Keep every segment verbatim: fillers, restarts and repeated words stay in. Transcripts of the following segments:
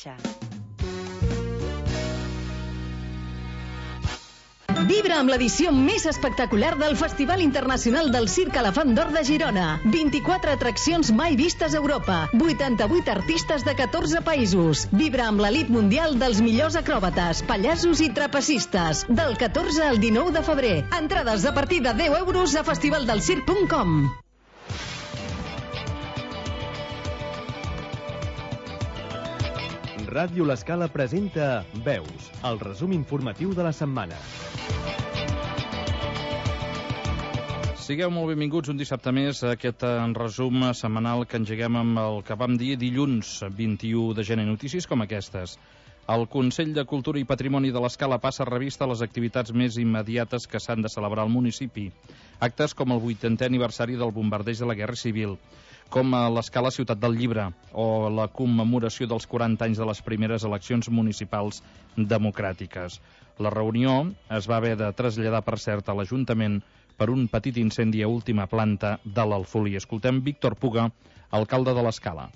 xarxa. Vibra amb l'edició més espectacular del Festival Internacional del Circ Elefant d'Or de Girona. vint-i-quatre atraccions mai vistes a Europa. vuitanta-vuit artistes de catorze països. Vibra amb l'elit mundial dels millors acròbates, pallassos i trapecistes. Del catorze al dinou de febrer. Entrades a partir de deu euros a festivaldelsirc punt com. Ràdio L'Escala presenta Veus, el resum informatiu de la setmana. Sigueu molt benvinguts un dissabte més a aquest resum setmanal que engeguem amb el que vam dir dilluns vint-i-u de gener. Notícies com aquestes. El Consell de Cultura i Patrimoni de l'Escala passa a revista les activitats més immediates que s'han de celebrar al municipi. Actes com el vuitantè aniversari del bombardeig de la Guerra Civil, com a l'Escala Ciutat del Llibre o la commemoració dels quaranta anys de les primeres eleccions municipals democràtiques. La reunió es va haver de traslladar, per cert, a l'Ajuntament per un petit incendi a última planta de l'Alfolí. Escoltem Víctor Puga, alcalde de l'Escala.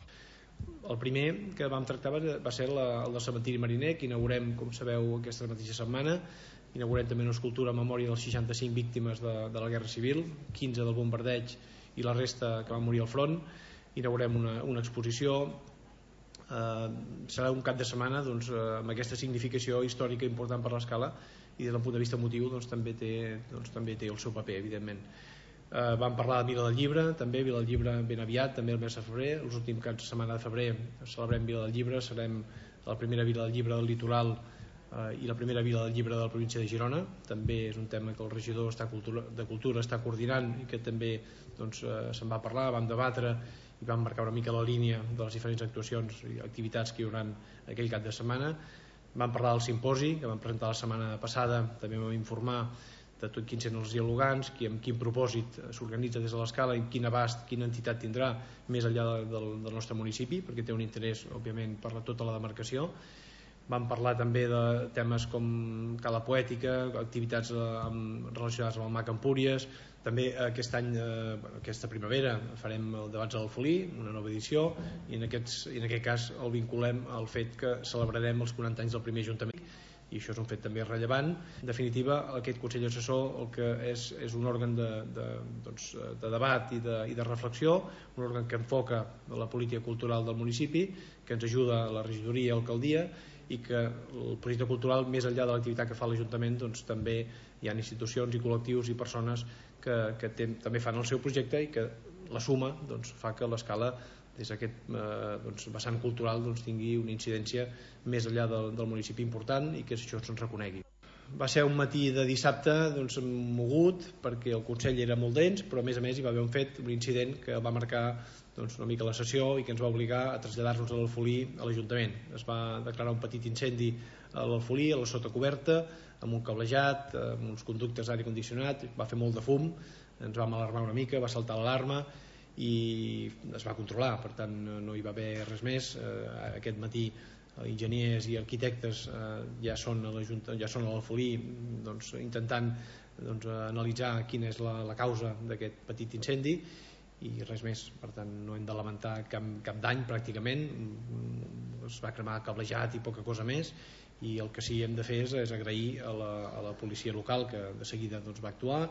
El primer que vam tractar va ser la, el del cementiri mariner, que inaugurem, com sabeu, aquesta mateixa setmana. Inaugurem també una escultura en memòria de les seixanta-cinc víctimes de, de la Guerra Civil, quinze del bombardeig i la resta que van morir al front. Inaugurem una, una exposició. Eh, serà un cap de setmana doncs, eh, amb aquesta significació històrica important per l'Escala, i des del punt de vista emotiu doncs, també, té, doncs, també té el seu paper, evidentment. Eh, vam parlar de Vila del Llibre, també Vila del Llibre ben aviat, també el mes de febrer. Els últims caps de setmana de febrer celebrem Vila del Llibre, serem la primera Vila del Llibre del litoral eh, i la primera Vila del Llibre de la província de Girona. També és un tema que el regidor està cultura, de Cultura està coordinant i que també doncs, eh, se'n va parlar, vam debatre i vam marcar una mica la línia de les diferents actuacions i activitats que hi haurà aquell cap de setmana. Vam parlar del simposi que vam presentar la setmana passada, també vam informar de tot quins eren els dialogants, qui, amb quin propòsit s'organitza des de l'Escala i quin abast, quina entitat tindrà més enllà de, del, del nostre municipi, perquè té un interès, òbviament, per la, tota la demarcació. Vam parlar també de temes com Cala Poètica, activitats eh, amb, relacionades amb el Mac Empúries. També aquest any, eh, aquesta primavera, farem el Debats a l'Alfolí, una nova edició, i en, aquests, i en aquest cas el vinculem al fet que celebrarem els quaranta anys del primer Ajuntament, i això és un fet també rellevant. En definitiva, aquest Consell Assessor el que és, és un òrgan de, de, doncs, de debat i de, i de reflexió, un òrgan que enfoca la política cultural del municipi, que ens ajuda a la regidoria i a l'alcaldia, i que el projecte cultural, més enllà de l'activitat que fa l'Ajuntament, doncs, també hi ha institucions i col·lectius i persones que, que ten, també fan el seu projecte i que la suma doncs, fa que l'Escala des d'aquest eh, doncs, vessant cultural doncs, tingui una incidència més enllà del, del municipi important i que això se'ns reconegui. Va ser un matí de dissabte doncs, mogut perquè el Consell era molt dens, però a més a més hi va haver un fet, un incident que va marcar doncs, una mica la sessió i que ens va obligar a traslladar-nos a l'Alfolí a l'Ajuntament. Es va declarar un petit incendi a l'Alfolí, a la sotacoberta, amb un cablejat, amb uns conductes d'aire condicionat, va fer molt de fum, ens vam alarmar una mica, va saltar l'alarma i es va controlar, per tant no hi va haver res més. Eh, aquest matí enginyers i arquitectes eh, ja són a la Junta, ja són a l'Alfolí doncs, intentant doncs, analitzar quina és la, la causa d'aquest petit incendi i res més, per tant no hem de lamentar cap, cap dany pràcticament. Es va cremar cablejat i poca cosa més, i el que sí hem de fer és, és agrair a la, a la policia local que de seguida doncs, va actuar,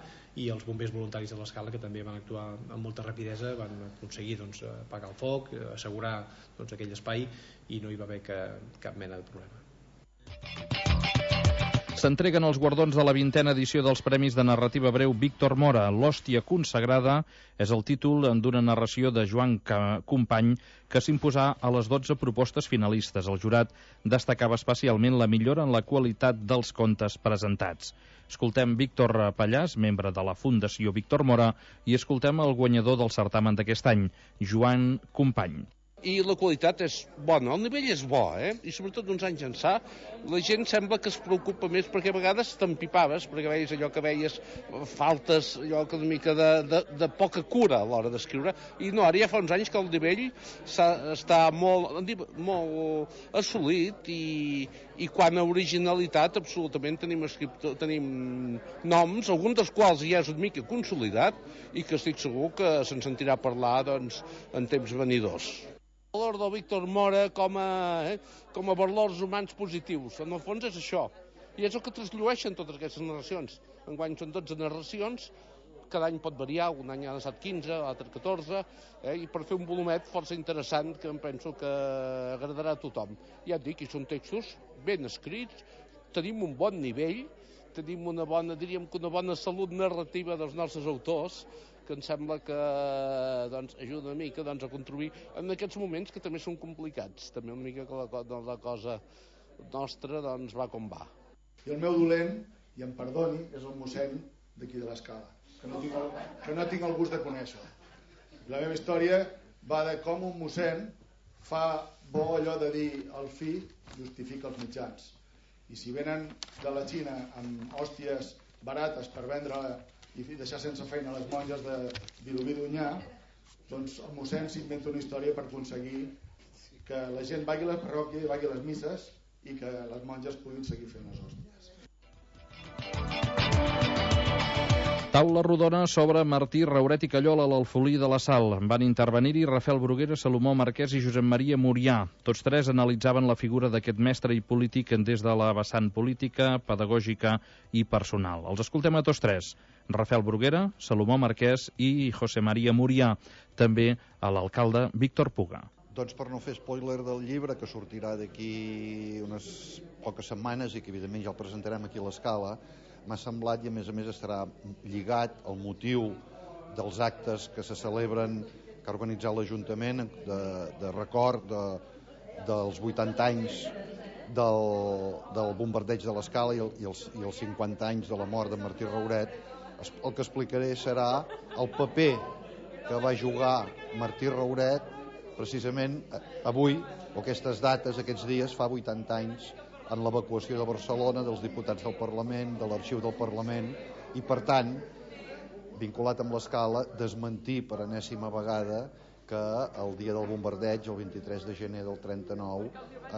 i als bombers voluntaris de l'Escala que també van actuar amb molta rapidesa, van aconseguir doncs, apagar el foc, assegurar doncs, aquell espai, i no hi va haver que, cap mena de problema. S'entreguen els guardons de la vintena edició dels Premis de Narrativa Breu Víctor Mora. L'hòstia consagrada és el títol d'una narració de Joan Company que s'imposà a les dotze propostes finalistes. El jurat destacava especialment la millora en la qualitat dels contes presentats. Escoltem Víctor Pallàs, membre de la Fundació Víctor Mora, i escoltem el guanyador del certamen d'aquest any, Joan Company. I la qualitat és bona, el nivell és bo, eh? I sobretot uns anys ençà la gent sembla que es preocupa més, perquè a vegades t'empipaves, perquè veies allò que veies faltes, allò que una mica de, de, de poca cura a l'hora d'escriure, i no, ara ja fa uns anys que el nivell està molt, molt assolit, i, i quant a originalitat absolutament tenim, escriptor, tenim noms, alguns dels quals ja és una mica consolidat, i que estic segur que se'n sentirà parlar doncs, en temps venidors. El valor del Víctor Mora com a, eh, com a valors humans positius. En el fons és això. I és el que trasllueixen totes aquestes narracions. Enguany són dotze narracions, cada any pot variar, un any han estat quinze, l'altre catorze, eh, i per fer un volumet força interessant que em penso que agradarà a tothom. Ja et dic, i són textos ben escrits, tenim un bon nivell, tenim una bona, diríem que una bona salut narrativa dels nostres autors, que em sembla que doncs, ajuda una mica doncs, a contribuir en aquests moments que també són complicats, també una mica que la, la cosa nostra doncs, va com va. I el meu dolent, i em perdoni, és el mossèn d'aquí de l'Escala, que no tinc el, que no tinc el gust de conèixer. La meva història va de com un mossèn fa bo allò de dir el fi justifica els mitjans. I si venen de la Xina amb hòsties barates per vendre i deixar sense feina les monges de Vilobí d'Onyar, doncs el mossèn s'inventa una història per aconseguir que la gent vagi a la parròquia i vagi a les misses i que les monges puguin seguir fent les hòsties. Taula rodona sobre Martí Rauret i Callol a l'Alfolí de la Sal. Van intervenir-hi Rafael Bruguera, Salomó Marquès i Josep Maria Murià. Tots tres analitzaven la figura d'aquest mestre i polític des de la vessant política, pedagògica i personal. Els escoltem a tots tres. Rafael Bruguera, Salomó Marquès i José María Murià. També a l'alcalde Víctor Puga. Doncs per no fer spoiler del llibre, que sortirà d'aquí unes poques setmanes i que evidentment ja el presentarem aquí a l'Escala, m'ha semblat, i a més a més estarà lligat al motiu dels actes que se celebren, que ha organitzat l'Ajuntament de, de record de, dels vuitanta anys del, del bombardeig de l'Escala i, el, i, els, i els cinquanta anys de la mort de Martí Rauret. El que explicaré serà el paper que va jugar Martí Rauret precisament avui, o aquestes dates, aquests dies, fa vuitanta anys, en l'evacuació de Barcelona, dels diputats del Parlament, de l'arxiu del Parlament, i per tant, vinculat amb l'Escala, desmentir per enèsima vegada que el dia del bombardeig, el vint-i-tres de gener del trenta-nou,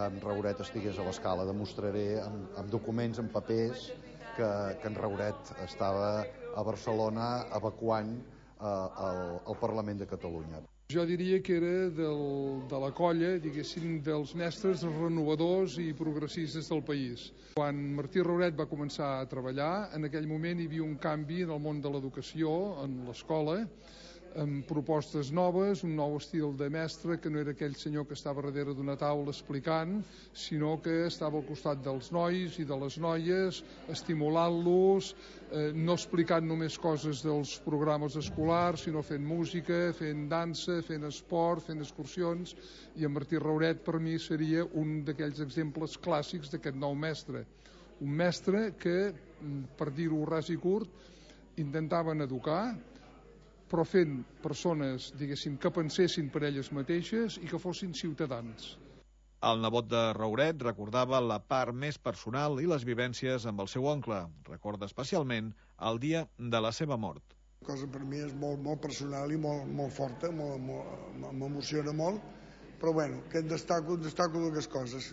en Rauret estigués a l'Escala. Demostraré amb, amb documents, amb papers, que, que en Rauret estava a Barcelona evacuant eh, el, el Parlament de Catalunya. Jo diria que era del, de la colla, diguéssim, dels mestres renovadors i progressistes del país. Quan Martí Rauret va començar a treballar, en aquell moment hi havia un canvi en el món de l'educació, en l'escola, amb propostes noves, un nou estil de mestre, que no era aquell senyor que estava darrere d'una taula explicant, sinó que estava al costat dels nois i de les noies, estimulant-los, eh, no explicant només coses dels programes escolars, sinó fent música, fent dansa, fent esport, fent excursions, i en Martí Rauret per mi seria un d'aquells exemples clàssics d'aquest nou mestre. Un mestre que, per dir-ho ras i curt, intentaven educar, però fent persones, diguéssim, que pensessin per elles mateixes i que fossin ciutadans. El nebot de Rauret recordava la part més personal i les vivències amb el seu oncle. Recorda especialment el dia de la seva mort. La cosa per mi és molt, molt personal i molt, molt forta, m'emociona molt, però bueno, que en destaco, en destaco dues coses.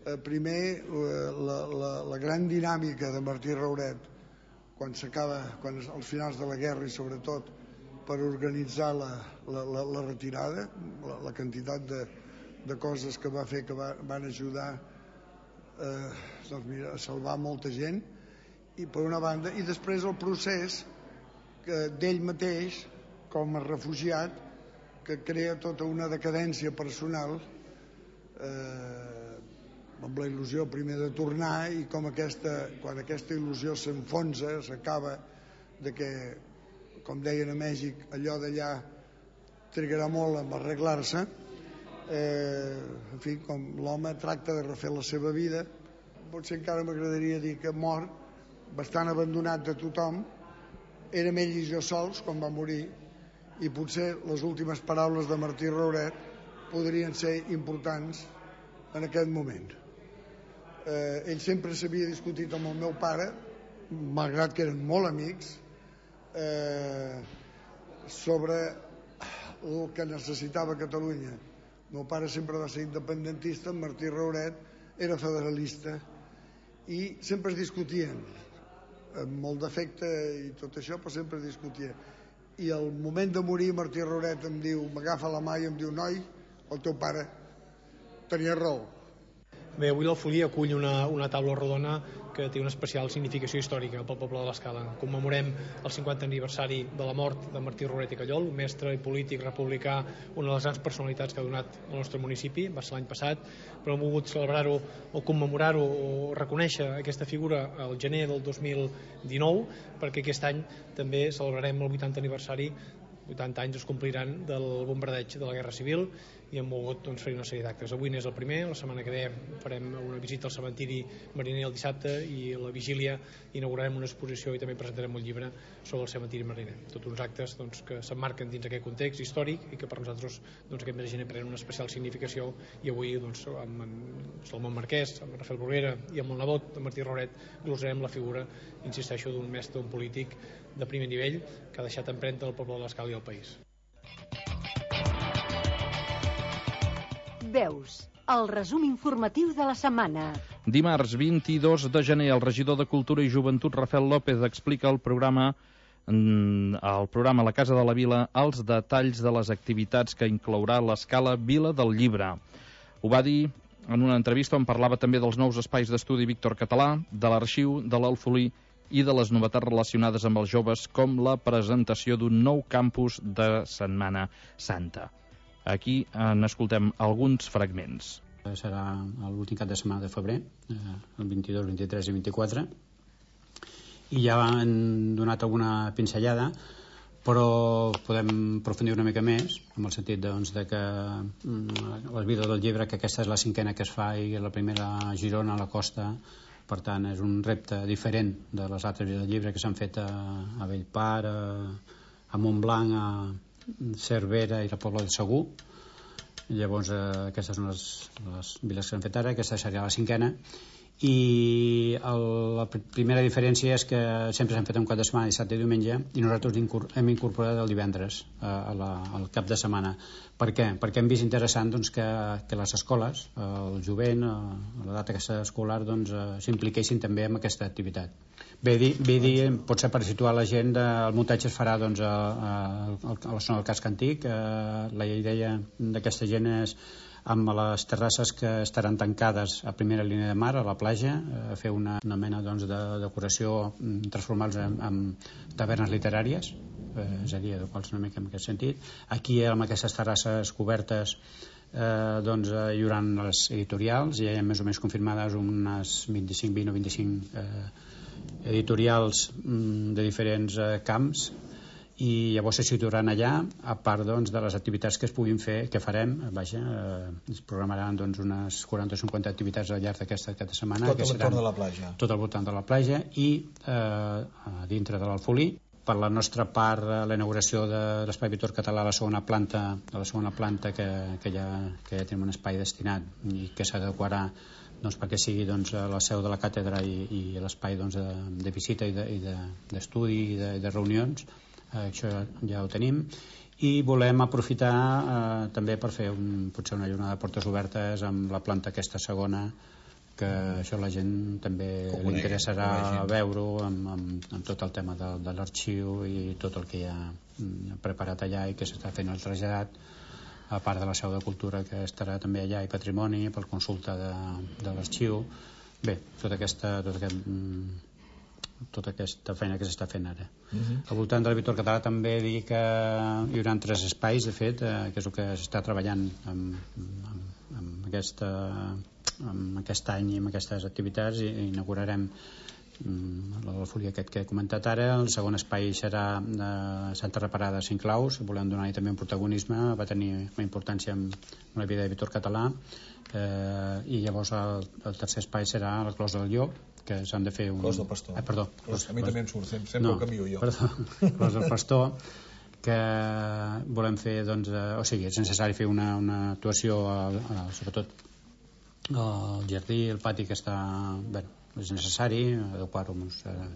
Eh, primer, la, la, la gran dinàmica de Martí Rauret, quan s'acaba, quan als finals de la guerra i sobretot per organitzar la, la, la, la retirada, la, la quantitat de, de coses que va fer que va, van ajudar eh, doncs mira, a salvar molta gent, i per una banda, i després el procés d'ell mateix com a refugiat, que crea tota una decadència personal eh, amb la il·lusió primer de tornar, i com aquesta, quan aquesta il·lusió s'enfonsa, s'acaba, de que, com deien a Mèxic, allò d'allà trigarà molt a arreglar-se, eh, en fi, com l'home tracta de refer la seva vida. Potser encara m'agradaria dir que mor bastant abandonat de tothom, érem ell i jo sols quan va morir, i potser les últimes paraules de Martí Rauret podrien ser importants en aquest moment. Eh, ell sempre s'havia discutit amb el meu pare, malgrat que eren molt amics, eh, sobre el que necessitava Catalunya. El meu pare sempre va ser independentista, en Martí Rauret era federalista, i sempre es discutien, amb molt d'afecte i tot això, però sempre discutia. I al moment de morir Martí Rauret em diu, m'agafa la mà i em diu, noi, el teu pare tenia raó. Bé, avui l'Alfolí acull una, una taula rodona que té una especial significació històrica pel poble de l'Escala. Commemorem el cinquantè aniversari de la mort de Martí Roret i Callol, un mestre i polític republicà, una de les grans personalitats que ha donat al nostre municipi, va ser l'any passat, però hem volgut celebrar-ho o commemorar-ho o reconèixer aquesta figura al gener del dos mil dinou, perquè aquest any també celebrarem el vuitantè aniversari, vuitanta anys es compliran del bombardeig de la Guerra Civil, i hem volgut doncs, fer una sèrie d'actes. Avui n'és el primer, la setmana que ve farem una visita al cementiri mariner el dissabte i a la vigília inaugurarem una exposició i també presentarem un llibre sobre el cementiri mariner. Tots uns actes doncs, que s'emmarquen dins aquest context històric i que per nosaltres doncs, aquest mes de gener prenen una especial significació, i avui doncs, amb en Salomón Marquès, amb Rafael Bruguera i amb el nebot de Martí Roret glosarem la figura, insisteixo, d'un mestre, un polític de primer nivell que ha deixat empremta al poble de l'Escala i al país. Veus, el resum informatiu de la setmana. Dimarts vint-i-dos de gener, el regidor de Cultura i Joventut, Rafael López, explica el programa el programa La Casa de la Vila, els detalls de les activitats que inclourà l'Escala Vila del Llibre. Ho va dir en una entrevista on parlava també dels nous espais d'estudi Víctor Català, de l'arxiu, de l'Alfolí i de les novetats relacionades amb els joves, com la presentació d'un nou campus de Setmana Santa. Aquí n'escoltem alguns fragments. Serà l'últim cap de setmana de febrer, el vint-i-dos, vint-i-tres i vint-i-quatre, i ja han donat alguna pinzellada, però podem aprofundir una mica més, en el sentit doncs, de que la Vida del Llibre, que aquesta és la cinquena que es fa i la primera a Girona, a la costa, per tant és un repte diferent de les altres Vides del Llibre que s'han fet a, a Bellpar, a, a Montblanc, a Cervera i la Pobla de Segur. Llavors eh, aquestes són les, les viles que s'han fet ara, aquesta seria la cinquena, i el, la primera diferència és que sempre s'han fet un cap de setmana, dissabte i diumenge, i nosaltres hem incorporat el divendres eh, a la, al cap de setmana. Per què? Perquè hem vist interessant doncs, que, que les escoles, eh, el jovent, eh, la data aquesta escolar, doncs, eh, s'impliquessin també en aquesta activitat. Bé dir, bé dir, potser per situar la gent, de, el muntatge es farà doncs, a, a, a la zona del casc antic. Eh, la idea d'aquesta gent és amb les terrasses que estaran tancades a primera línia de mar, a la platja, a fer una, una mena doncs, de decoració, transformar-los en, en tavernes literàries, eh, és a dir, adequar-los una mica en aquest sentit. Aquí, amb aquestes terrasses cobertes, eh, doncs, hi haurà les editorials, ja hi ha més o menys confirmades unes vint-i-cinc, vint o vint-i-cinc eh, editorials mm, de diferents eh, camps, i llavors se situaran allà, a part doncs, de les activitats que es puguin fer, que farem, vaja, eh, es programaran doncs, unes quaranta o cinquanta activitats al llarg d'aquesta aquesta setmana. Tot al voltant de la platja. Tot al voltant de la platja i eh, dintre de l'Alfolí. Per la nostra part, la inauguració de l'Espai Víctor Català a la segona planta, a la segona planta que, que, ja, que ja tenim un espai destinat i que s'adequarà doncs, perquè sigui doncs, la seu de la càtedra i, i l'espai doncs, de, de visita i d'estudi de, i, de, i de, de reunions. Eh, això ja ho tenim, i volem aprofitar eh, també per fer un, potser una jornada de portes obertes amb la planta aquesta segona, que això la gent també li interessarà veure-ho amb, amb, amb tot el tema de, de l'arxiu i tot el que hi ha preparat allà i que s'està fent el traslladat, a part de la seu de cultura que estarà també allà i patrimoni per consulta de, de l'arxiu. Bé, tota aquesta, tot aquest tota aquesta feina que s'està fent ara. Uh-huh. Al voltant del Víctor Català també dir que hi haurà tres espais, de fet, eh, que és el que s'està treballant amb, amb, amb, aquesta, amb aquest any i amb aquestes activitats, i inaugurarem mm, l'Alfolí aquest que he comentat ara. El segon espai serà de Santa Reparada a Cinclaus, volem donar-hi també un protagonisme, va tenir una importància en la vida de Víctor Català, eh, i llavors el, el tercer espai serà la Clos del Llop, que s'han de fer un... Clos del Pastor. Ah, perdó. Clos, a mi també em surt, sempre no, ho canvio jo. Perdó, Clos del Pastor, que volem fer, doncs, eh, o sigui, és necessari fer una, una actuació, a, a, sobretot al jardí, el pati que està... Bé, és necessari adequar-ho amb uns, eh,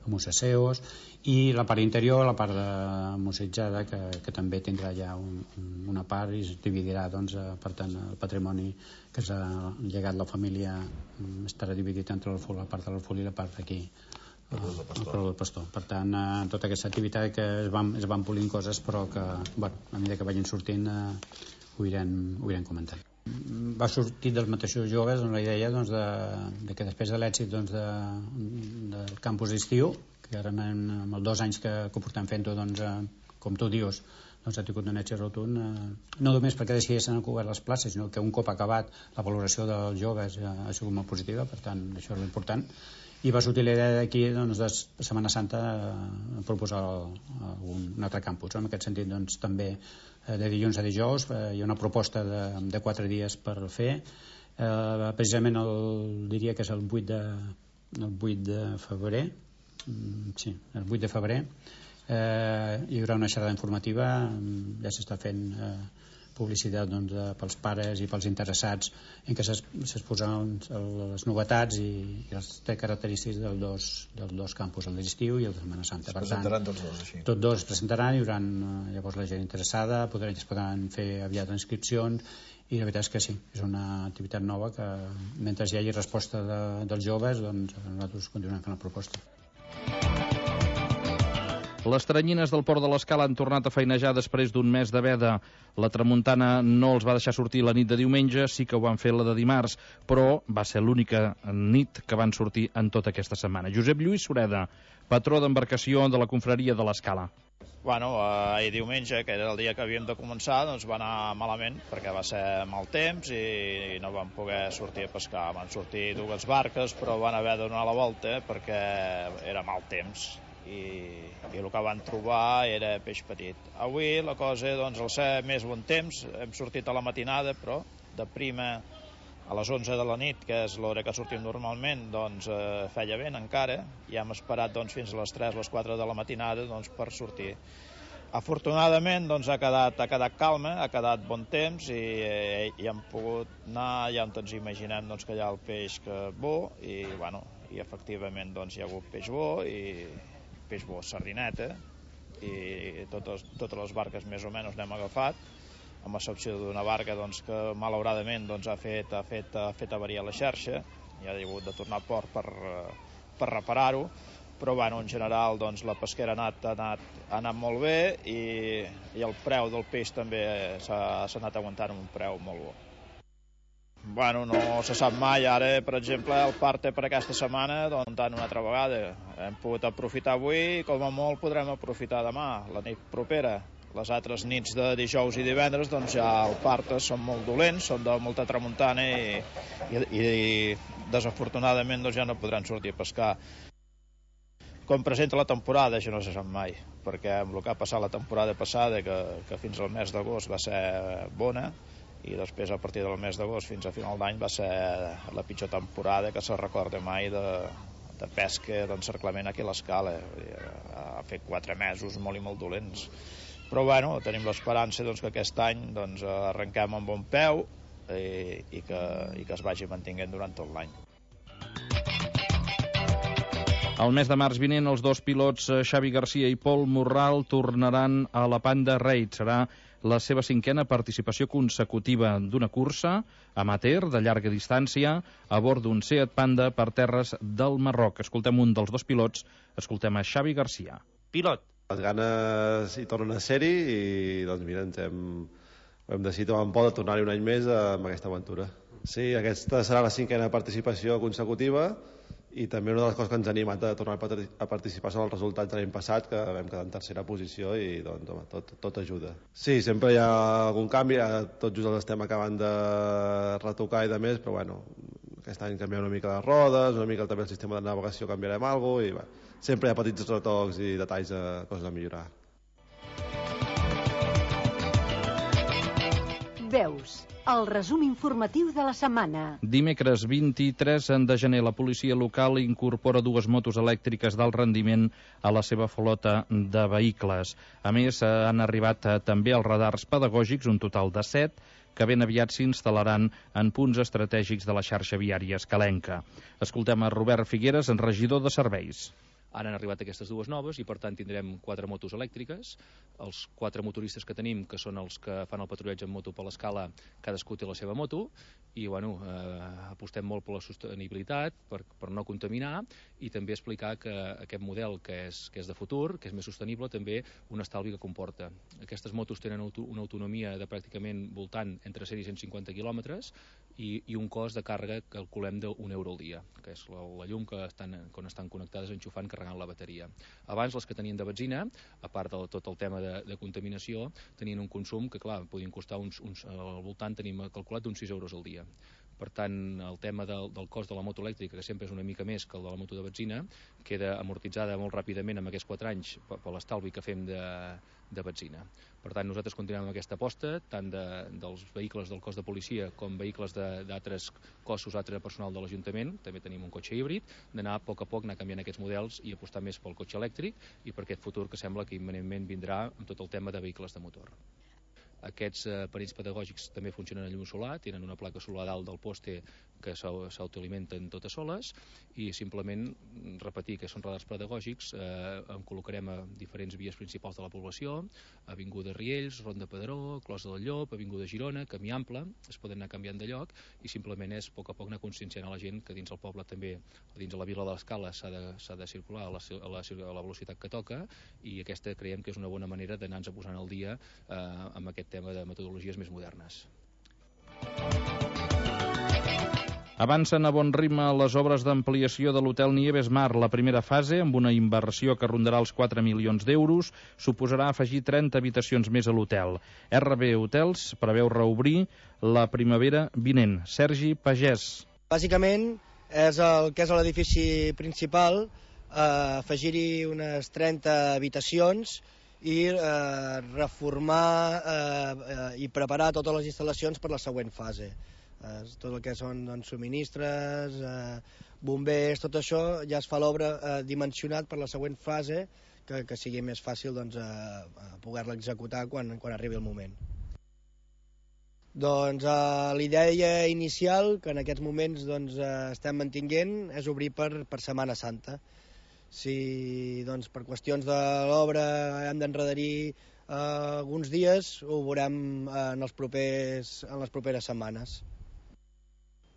amb uns aseos, i la part interior, la part de museïtzada, que, que també tindrà ja un, una part i es dividirà, doncs, per tant, el patrimoni que s'ha llegat la família estarà dividit entre la part de l'Alfolí i la part d'aquí, el Clos del Pastor. Per tant, eh, tota aquesta activitat que es van, es van polint coses, però que, bueno, a mesura que vagin sortint, eh, ho irem, ho irem comentant. Va sortir dels mateixos joves doncs, la idea doncs, de, de que després de l'èxit doncs, de, del campus d'estiu, que ara en, en els dos anys que, que ho portem fent-ho, doncs, eh, com tu dius, doncs, ha tingut un èxit rotund, eh, no només perquè decideixen cobert les places, sinó que un cop acabat la valoració dels joves eh, ha sigut molt positiva, per tant això és important, i va sortir la idea d'aquí doncs, de Setmana Santa eh, proposar el, un, un altre campus. En aquest sentit doncs, també eh, de dilluns a dijous eh, hi ha una proposta de, de quatre dies per fer, eh, precisament el, diria que és el vuit de, el vuit de febrer, mm, sí, el vuit de febrer, eh, hi haurà una xerrada informativa, ja s'està fent eh, publicitat doncs, de, pels pares i pels interessats en què s'exposaran les novetats i, i les característiques dels dos, dels dos campus, el d'estiu i el de Setmana Santa. Es presentaran tots dos, així. Tots dos es presentaran, hi haurà llavors la gent interessada, podran, es podran fer aviat inscripcions, i la veritat és que sí, és una activitat nova que mentre hi hagi resposta de, dels joves, doncs nosaltres continuem fent la proposta. Les teranyines del Port de l'Escala han tornat a feinejar després d'un mes de veda. La tramuntana no els va deixar sortir la nit de diumenge, sí que ho van fer la de dimarts, però va ser l'única nit que van sortir en tota aquesta setmana. Josep Lluís Sureda, patró d'embarcació de la confraria de l'Escala. Bueno, ahir diumenge, que era el dia que havíem de començar, doncs va anar malament, perquè va ser mal temps i no vam poder sortir a pescar. Van sortir dues barques, però van haver de donar la volta perquè era mal temps. I, i el que van trobar era peix petit. Avui la cosa, doncs, al ser més bon temps, hem sortit a la matinada, però de prima a les onze de la nit, que és l'hora que sortim normalment, doncs eh, feia vent encara, i hem esperat doncs, fins a les tres o les quatre de la matinada doncs, per sortir. Afortunadament doncs, ha, quedat, ha quedat calma, ha quedat bon temps i, eh, i hem pogut anar ja on ens imaginem doncs, que hi ha el peix que bo i, bueno, i efectivament doncs, hi ha hagut peix bo i peix bo, sardineta, i totes, totes les barques més o menys n'hem agafat, amb excepció d'una barca doncs, que malauradament doncs, ha, fet, ha, fet, ha fet avariar la xarxa i ha hagut de tornar a port per, per reparar-ho, però bueno, en general doncs, la pesquera ha anat, ha anat, ha anat molt bé i, i el preu del peix també s'ha anat aguantant amb un preu molt bo. Bueno, no se sap mai. Ara, per exemple, el parte per aquesta setmana, doncs, tant una altra vegada. Hem pogut aprofitar avui i, com a molt, podrem aprofitar demà, la nit propera. Les altres nits de dijous i divendres, doncs, ja el parte són molt dolents, són de molta tramuntana i, i, i desafortunadament, doncs, ja no podran sortir a pescar. Com presenta la temporada, això no se sap mai, perquè amb el que ha passat la temporada passada, que, que fins al mes d'agost va ser bona, i després a partir del mes d'agost fins a final d'any va ser la pitjor temporada que se recorda mai de, de pesca d'encerclament aquí a l'Escala. Ha fet quatre mesos molt i molt dolents, però bueno, tenim l'esperança doncs, que aquest any doncs, arrenquem amb bon peu i, i, que, i que es vagi mantinguent durant tot l'any. El mes de març vinent, els dos pilots Xavi Garcia i Pol Morral tornaran a la Panda Raid. Serà la seva cinquena participació consecutiva d'una cursa amateur de llarga distància a bord d'un Seat Panda per terres del Marroc. Escoltem un dels dos pilots, escoltem a Xavi Garcia. Pilot. Les ganes hi tornen a ser-hi i doncs mira, ens hem, hem decidit amb por de tornar-hi un any més amb aquesta aventura. Sí, aquesta serà la cinquena participació consecutiva i també una de les coses que ens ha animat a tornar a participar són els resultats de l'any passat, que vam quedar en tercera posició i doncs, home, tot, tot ajuda. Sí, sempre hi ha algun canvi, tot just els estem acabant de retocar i de més, però bueno, aquest any canviem una mica les rodes, una mica també el sistema de navegació canviarem alguna cosa i bueno, sempre hi ha petits retocs i detalls de coses a millorar. Veus, el resum informatiu de la setmana. Dimecres vint-i-tres de gener, la policia local incorpora dues motos elèctriques d'alt rendiment a la seva flota de vehicles. A més, han arribat també els radars pedagògics, un total de set, que ben aviat s'instal·laran en punts estratègics de la xarxa viària escalenca. Escoltem a Robert Figueres, regidor de serveis. Ara han arribat aquestes dues noves i per tant tindrem quatre motos elèctriques. Els quatre motoristes que tenim, que són els que fan el patrullatge en moto per l'escala, cadascú té la seva moto i bueno, eh, apostem molt per la sostenibilitat, per, per no contaminar i també explicar que aquest model que és, que és de futur, que és més sostenible, també un estalvi que comporta. Aquestes motos tenen una autonomia de pràcticament voltant entre cent i cent cinquanta quilòmetres i, i un cost de càrrega que calculem d'un euro al dia, que és la, la llum que estan, quan estan connectades enxufant, carregant la bateria. Abans les que tenien de benzina, a part de tot el tema de, de contaminació, tenien un consum que clar, podien costar uns, uns, al voltant tenim calculat d'uns sis euros al dia. Per tant, el tema del, del cost de la moto elèctrica, que sempre és una mica més que el de la moto de benzina, queda amortitzada molt ràpidament en aquests quatre anys per, per l'estalvi que fem de, de benzina. Per tant, nosaltres continuem amb aquesta aposta, tant de, dels vehicles del cos de policia com vehicles d'altres cossos, altre personal de l'Ajuntament, també tenim un cotxe híbrid, d'anar a poc a poc anar canviant aquests models i apostar més pel cotxe elèctric i per aquest futur que sembla que imminentment vindrà amb tot el tema de vehicles de motor. Aquests eh, perills pedagògics també funcionen a llum solar, tenen una placa solar dalt del poste que s'autoalimenten totes soles i simplement repetir que són radars pedagògics, eh, en col·locarem a diferents vies principals de la població, Avinguda Riells, Ronda Pedró, Closa del Llop, Avinguda Girona, Camí Ample, es poden anar canviant de lloc i simplement és a poc a poc anar conscienciant a la gent que dins el poble també, dins de la vila de l'Escala s'ha de, s'ha de circular a la, a, la, a la velocitat que toca i aquesta creiem que és una bona manera d'anar-nos posant al dia eh, amb aquest tema de metodologies més modernes. Avancen a bon ritme les obres d'ampliació de l'hotel Nieves Mar. La primera fase, amb una inversió que rondarà els quatre milions d'euros, suposarà afegir trenta habitacions més a l'hotel. R B Hotels preveu reobrir la primavera vinent. Sergi Pagès. Bàsicament, és el que és l'edifici principal, eh, afegir-hi unes trenta habitacions i eh, reformar eh, eh, i preparar totes les instal·lacions per la següent fase. Eh, tot el que són doncs, subministres, eh, bombers, tot això ja es fa l'obra eh, dimensionat per la següent fase que, que sigui més fàcil doncs, eh, poder-la executar quan, quan arribi el moment. Doncs eh, l'idea inicial que en aquests moments doncs, eh, estem mantinguent és obrir per, per Setmana Santa. Si doncs, per qüestions de l'obra hem d'enredarir eh, alguns dies, ho veurem eh, en, els propers, en les properes setmanes.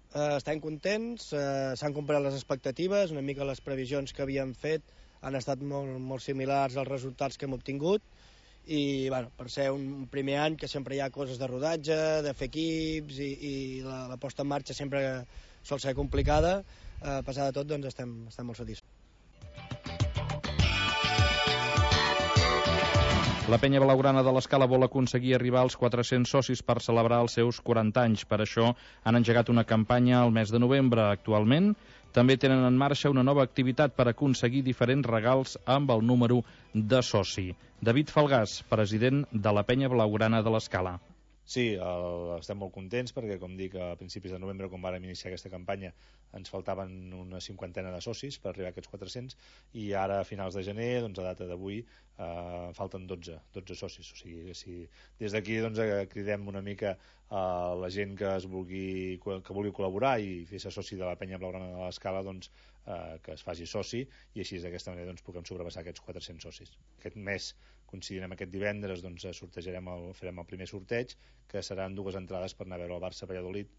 Eh, estem contents, eh, s'han complert les expectatives, una mica les previsions que havíem fet han estat molt, molt similars als resultats que hem obtingut i bueno, per ser un primer any que sempre hi ha coses de rodatge, de fer equips i, i la, la posta en marxa sempre sol ser complicada, eh, a pesar de tot doncs estem, estem molt satisfets. La penya blaugrana de l'Escala vol aconseguir arribar als quatre-cents socis per celebrar els seus quaranta anys. Per això han engegat una campanya al mes de novembre. Actualment també tenen en marxa una nova activitat per aconseguir diferents regals amb el número de soci. David Falgàs, president de la penya blaugrana de l'Escala. Sí, el, estem molt contents perquè, com dic, a principis de novembre, quan vàrem iniciar aquesta campanya, ens faltaven una cinquantena de socis per arribar a aquests quatre-cents i ara, a finals de gener, doncs, a data d'avui, eh, falten dotze, dotze socis. O sigui, si des d'aquí doncs, cridem una mica a la gent que, es vulgui, que vulgui col·laborar i fer-se soci de la penya blaugrana de l'Escala, doncs, eh, que es faci soci i així d'aquesta manera doncs, puguem sobrepassar aquests quatre-cents socis. Aquest mes, coincidint amb aquest divendres, doncs, sortejarem el, farem el primer sorteig, que seran dues entrades per anar a veure el Barça-Valladolid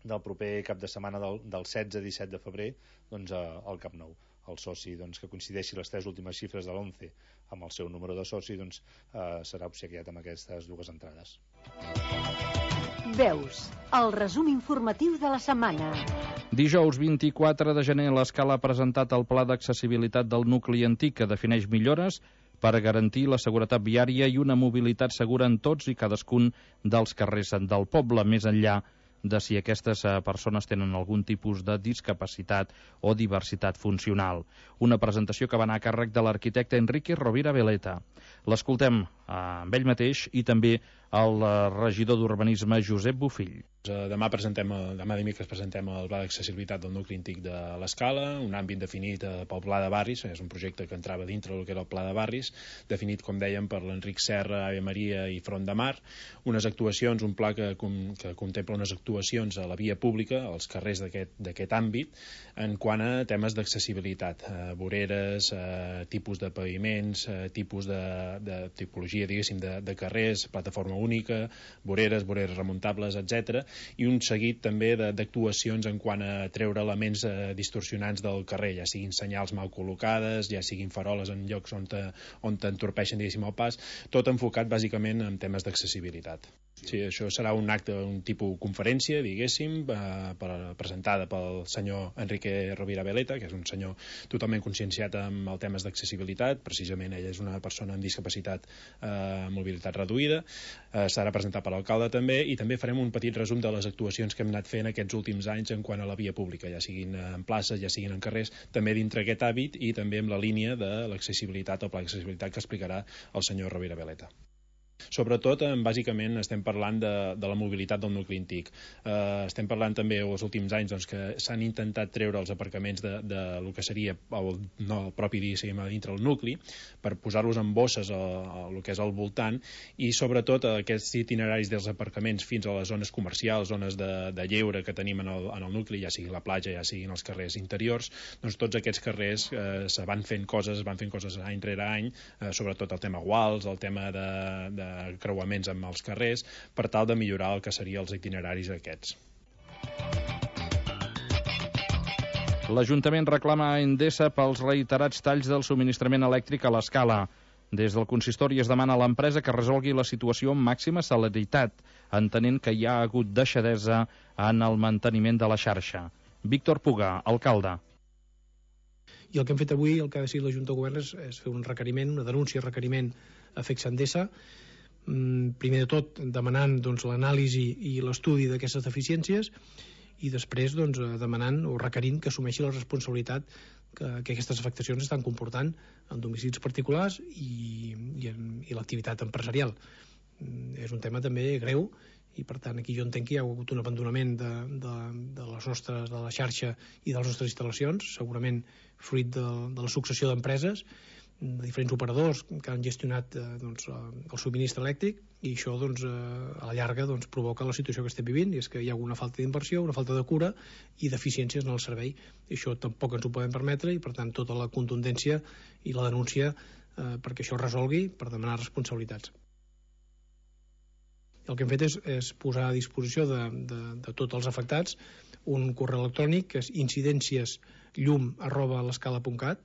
del proper cap de setmana del, del setze a disset de febrer doncs, al Camp Nou. El soci doncs, que coincideixi les tres últimes xifres de l'onze amb el seu número de soci doncs, eh, serà obsequiat amb aquestes dues entrades. Veus, el resum informatiu de la setmana. Dijous vint-i-quatre de gener, l'Escala ha presentat el Pla d'Accessibilitat del nucli antic que defineix millores per garantir la seguretat viària i una mobilitat segura en tots i cadascun dels carrers del poble, més enllà de si aquestes persones tenen algun tipus de discapacitat o diversitat funcional. Una presentació que va anar a càrrec de l'arquitecte Enrique Rovira Veleta. L'escoltem amb ell mateix i també el regidor d'Urbanisme, Josep Bofill. Demà presentem, demà dimecres presentem el pla d'accessibilitat del nucli antic de l'Escala, un àmbit definit pel pla de barris, és un projecte que entrava dintre del que era el pla de barris, definit, com dèiem, per l'Enric Serra, Ave Maria i Front de Mar, unes actuacions, un pla que, que contempla unes actuacions a la via pública, als carrers d'aquest àmbit, en quant a temes d'accessibilitat, eh, voreres, eh, tipus de paviments, eh, tipus de, de tipologia, diguéssim, de, de carrers, plataforma única, voreres, voreres remuntables, etcètera, i un seguit també d'actuacions en quant a treure elements eh, distorsionants del carrer, ja siguin senyals mal col·locades, ja siguin faroles en llocs on, te, on t'entorpeixen, diguéssim, el pas, tot enfocat bàsicament en temes d'accessibilitat. Sí, això serà un acte, un tipus conferència, diguéssim, eh, per, presentada pel senyor Enrique Rovira Veleta, que és un senyor totalment conscienciat amb els temes d'accessibilitat, precisament ell és una persona amb discapacitat, eh, mobilitat reduïda, eh, serà presentat per l'alcalde també, i també farem un petit resum de les actuacions que hem anat fent aquests últims anys en quant a la via pública, ja siguin en places, ja siguin en carrers, també dintre aquest hàbit i també amb la línia de l'accessibilitat, el pla d'accessibilitat que explicarà el senyor Rovira Veleta. Sobretot, eh, bàsicament, estem parlant de, de la mobilitat del nucli antic. Eh, estem parlant també, els últims anys, doncs, que s'han intentat treure els aparcaments de, de lo que seria el, no, el propi diguéssim, dintre el nucli, per posar-los en bosses a, a lo que és al voltant, i sobretot aquests itineraris dels aparcaments fins a les zones comercials, zones de, de lleure que tenim en el, en el nucli, ja sigui la platja, ja siguin els carrers interiors, doncs tots aquests carrers eh, se van fent coses, van fent coses any rere any, eh, sobretot el tema guals, el tema de, de creuaments amb els carrers, per tal de millorar el que serien els itineraris aquests. L'Ajuntament reclama a Endesa pels reiterats talls del subministrament elèctric a l'Escala. Des del consistori es demana a l'empresa que resolgui la situació amb màxima celeritat, entenent que hi ha hagut deixadesa en el manteniment de la xarxa. Víctor Puga, alcalde. I el que hem fet avui, el que ha decidit la Junta de Govern és, és fer un requeriment, una denúncia, requeriment a F E C Endesa, primer de tot demanant doncs, l'anàlisi i l'estudi d'aquestes deficiències i després doncs, demanant o requerint que assumeixi la responsabilitat que, que aquestes afectacions estan comportant en domicilis particulars i, i, i l'activitat empresarial. És un tema també greu i per tant aquí jo entenc que hi ha hagut un abandonament de, de, de les nostres, de la xarxa i de les nostres instal·lacions, segurament fruit de, de la successió d'empreses, de diferents operadors que han gestionat eh, doncs, el subministre elèctric i això doncs, eh, a la llarga doncs, provoca la situació que estem vivint i és que hi ha una falta d'inversió, una falta de cura i deficiències en el servei i això tampoc ens ho podem permetre i per tant tota la contundència i la denúncia eh, perquè això es resolgui per demanar responsabilitats. El que hem fet és, és posar a disposició de, de, de tots els afectats un correu electrònic que és incidències llum arroba l'escala punt cat.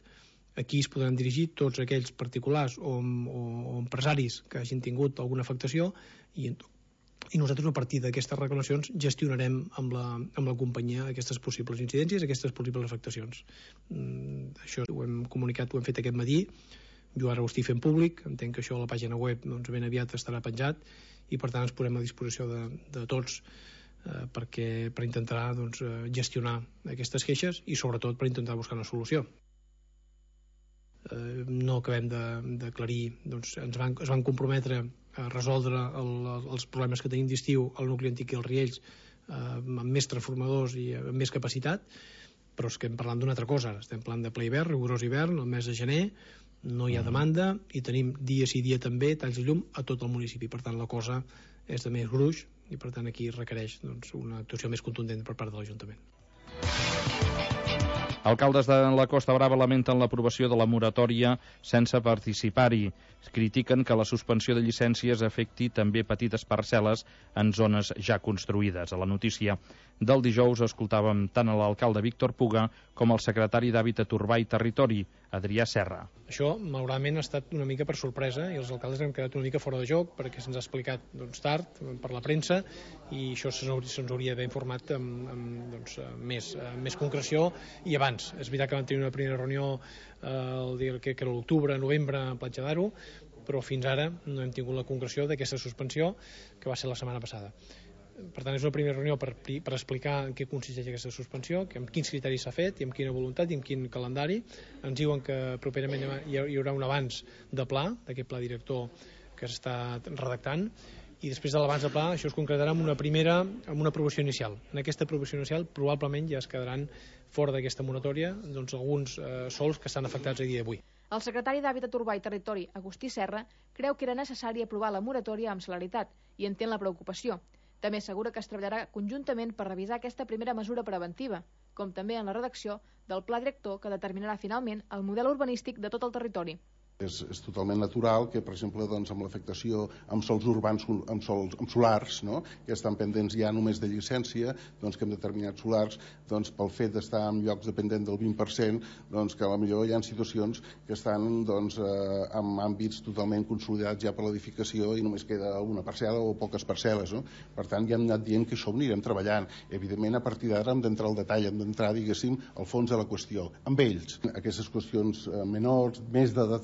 Aquí es podran dirigir tots aquells particulars o, o, o empresaris que hagin tingut alguna afectació i, i nosaltres a partir d'aquestes reclamacions gestionarem amb la, amb la companyia aquestes possibles incidències, aquestes possibles afectacions. Mm, això ho hem comunicat, ho hem fet aquest matí, jo ara ho estic fent públic, entenc que això a la pàgina web doncs, ben aviat estarà penjat i per tant ens posem a disposició de, de tots eh, perquè, per intentar doncs, gestionar aquestes queixes i sobretot per intentar buscar una solució. Eh, no acabem d'aclarir, doncs ens van, es van comprometre a resoldre el, els problemes que tenim d'estiu al nucli antic i als Riells eh, amb més transformadors i amb més capacitat, però és que estem parlant d'una altra cosa, estem parlant de ple hivern, rigorós hivern, el mes de gener, no hi ha demanda i tenim dia sí dia també talls de llum a tot el municipi, per tant la cosa és de més gruix i per tant aquí requereix doncs, una actuació més contundent per part de l'Ajuntament. Alcaldes de la Costa Brava lamenten l'aprovació de la moratòria sense participar-hi. Critiquen que la suspensió de llicències afecti també petites parcel·les en zones ja construïdes. A la notícia del dijous escoltàvem tant a l'alcalde Víctor Puga com al secretari d'Hàbitat Urbà i Territori, Adrià Serra. Això, malauradament, ha estat una mica per sorpresa i els alcaldes hem quedat una mica fora de joc perquè se'ns ha explicat doncs, tard per la premsa i això se'ns hauria d'haver informat amb, amb doncs, més, més concreció i abans. És veritat que vam tenir una primera reunió eh, el dia que, que era l'octubre, novembre a Platja d'Aro, però fins ara no hem tingut la concreció d'aquesta suspensió que va ser la setmana passada. Per tant, és una primera reunió per, per explicar en què consisteix aquesta suspensió, que amb quins criteris s'ha fet i amb quina voluntat i amb quin calendari. Ens diuen que properament hi haurà un abans de pla, d'aquest pla director que s'està redactant, i després de l'abans de pla això es concretarà amb una primera, amb una aprovació inicial. En aquesta aprovació inicial probablement ja es quedaran fora d'aquesta moratòria doncs, alguns eh, sols que estan afectats a dia d'avui. El secretari d'Hàbitat Urbà i Territori, Agustí Serra, creu que era necessari aprovar la moratòria amb celeritat i entén la preocupació. També assegura que es treballarà conjuntament per revisar aquesta primera mesura preventiva, com també en la redacció del pla director que determinarà finalment el model urbanístic de tot el territori. És, és totalment natural que, per exemple, doncs, amb l'afectació amb sols urbans, amb, sols, amb solars, no? que estan pendents ja només de llicència, doncs, que en determinats solars, doncs, pel fet d'estar en llocs dependent del vint per cent, doncs, que potser hi ha situacions que estan doncs, eh, en àmbits totalment consolidats ja per l'edificació i només queda una parcel·la o poques parcel·les. No? Per tant, ja hem anat dient que això ho anirem treballant. Evidentment, a partir d'ara hem d'entrar al detall, hem d'entrar, diguéssim, al fons de la qüestió. Amb ells, aquestes qüestions eh, menors, més de detall,